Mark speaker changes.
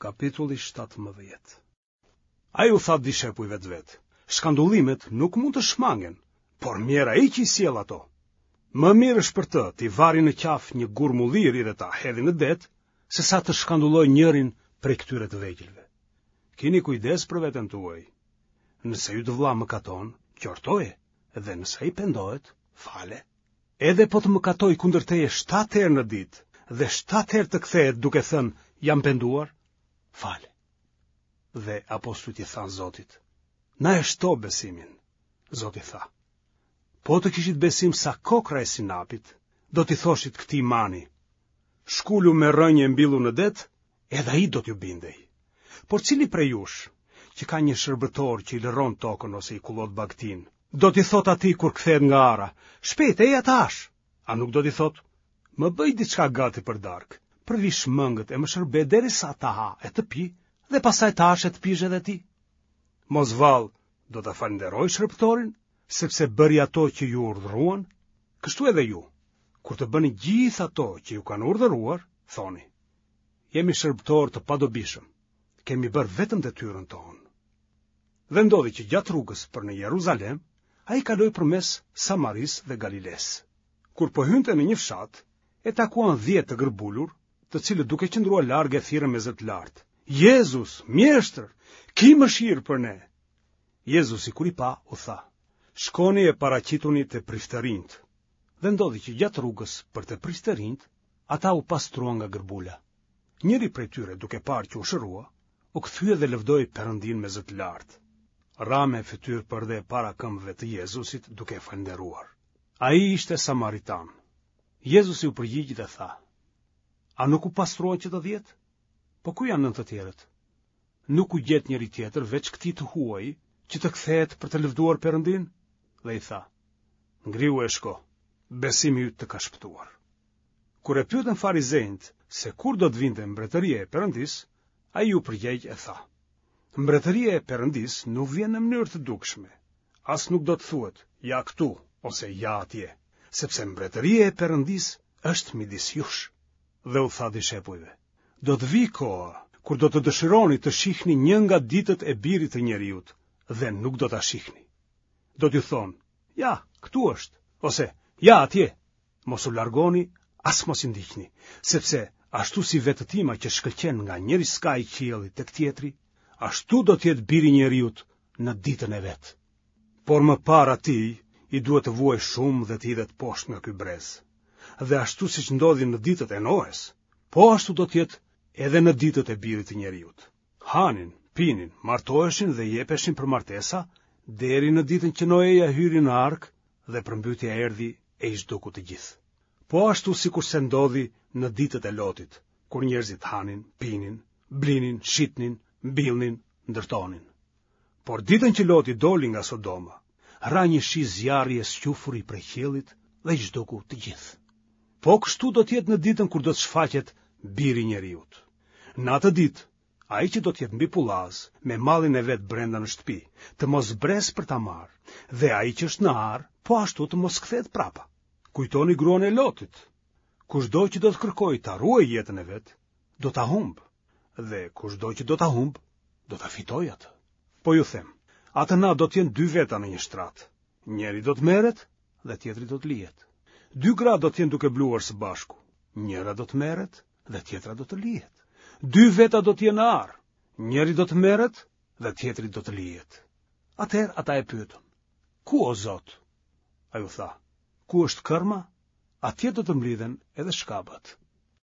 Speaker 1: Kapitulli 17 Ai u tha dishepujve të vet, shkandullimet nuk mund të shmangen, por mjerë ai që i sjell ato. Më mirë është për të t'i varin në qafë një gur mulliri dhe ta hedhin në det, sesa të shkandullojë njërin prej këtyre të vegjëlve. Kini kujdes për veten tuaj. Nëse yt vëlla mëkaton, qortoje, dhe nëse ai pendohet, fale. Edhe po të mëkatojë kundër teje shtatë herë në ditë dhe shtatë herë të kthehet duke thënë jam penduar, fale. Dhe apostujt i thanë Zotit, na e shto besimin. Zoti tha, po të kishit besim sa kokrra e sinapit, do t'i thoshit këtij mani, shkulu me rrënjë e mbillu në det, edhe ai do t'ju bindej. Por cili prej jush, që ka një shërbëtor që i lëron tokën ose i kullot bagëtinë, do t'i thotë atij kur kthehet nga ara, shpejt eja të hash, a nuk do t'i thotë, më bëj diçka gati për darkë, përvish mëngët e më shërbe derisa të ha e të pi, dhe pastaj të hash e të pish edhe ti. Mos vallë, do ta falënderojë shërbëtorin, sepse bëri ato që iu urdhëruan, kështu edhe ju, kur të bëni gjithë ato që ju kanë urdhëruar, thoni, jemi shërbëtorë të padobishëm, kemi bërë vetëm detyrën tonë. Dhe ndodhi që gjatë rrugës për në Jeruzalem, ai kaloi përmes Samarisë dhe Galilesë. Kur po hynte në një fshat, e takuan 10 të gërbulur, të cilët duke qëndruar larg e thirrën me zë të lartë: Jezus, mjeshtër, ki mëshirë për ne. Jezusi kur i pa, u tha: Shkoni e paraqituni te priftërinjtë. Dhe ndodhi që gjatë rrugës për te priftërinjtë, ata u pastruan nga gërbula. Njëri prej tyre, duke parë që u shërua, u kthye dhe lëvdoi Perëndinë me zë të lartë. Ra me fytyrë përdhe para këmbëve të Jezusit duke e falënderuar. Ai ishte samaritan. Jezusi u përgjigj dhe tha: A nuk u pastruan që të dhjetë? Po ku janë nëntë të tjerët? Nuk u gjet njeri tjetër veç këtij të huaji që të kthehet për të lëvduar Perëndinë? Dhe i tha: Ngrihu e shko, besimi yt të ka shpëtuar. Kur e pyetën farizenjtë se kur do të vinte mbretëria e Perëndisë, ai iu përgjegj e tha: Mbretëria e Perëndisë nuk vjen në mënyrë të dukshme, as nuk do të thuhet ja këtu ose ja atje, sepse mbretëria e Perëndisë është midis jush. Dhe u tha dishepujve: Do të vijë koha kur do të dëshironi të shihni një nga ditët e birit të njeriut dhe nuk do ta shihni. Do t'ju thonë: Ja, këtu është, ose ja atje. Mos u largoni, as mos i ndiqni, sepse ashtu si vetëtima që shkëlqen nga njëri skaj i qiellit tek tjetri, ashtu do të jetë biri i njeriut në ditën e vet. Por më parë atij i duhet të vuajë shumë dhe të hidhet poshtë nga ky brez. Dhe ashtu siç ndodhi në ditët e Noes, po ashtu do të jetë edhe në ditët e birit të njeriut. Hanin, pinin, martoheshin dhe jepeshin për martesa, deri në ditën që Noeja hyri në arkë dhe përmbytja erdhi e i zhduku të gjithë. Po ashtu sikurse ndodhi në ditët e Lotit, kur njerëzit hanin, pinin, blinin, shitnin, mbillnin, ndërtonin. Por ditën që Loti doli nga Sodoma, ra një shi zjarri e squfuri prej qiellit dhe i zhduku të gjithë. Po kështu do të jetë në ditën kur do të shfaqet biri i njeriut. Në atë ditë, Ai që do të jetë mbi pullaz, me mallin e vet brenda në shtëpi, të mos zbresë për ta marrë, dhe ai që është në arë, po ashtu të mos kthehet prapa. Kujtoni gruan e Lotit. Kushdo që do të kërkojë ta ruajë jetën e vet, do ta humbë, dhe kushdo që do ta humbë, do ta fitojë atë. Po ju them, atë natë do të jenë dy veta në një shtrat. Njëri do të merret dhe tjetri do të lihet. Dy gra do të jenë duke bluar së bashku. Njëra do të merret dhe tjetra do të lihet. Dy veta do të jenë në arë, njëri do të merret dhe tjetri do të lihet. Atëherë ata e pyetën, ku o Zot? Ai u tha, ku është kërma, atje do të mblidhen edhe shkabat.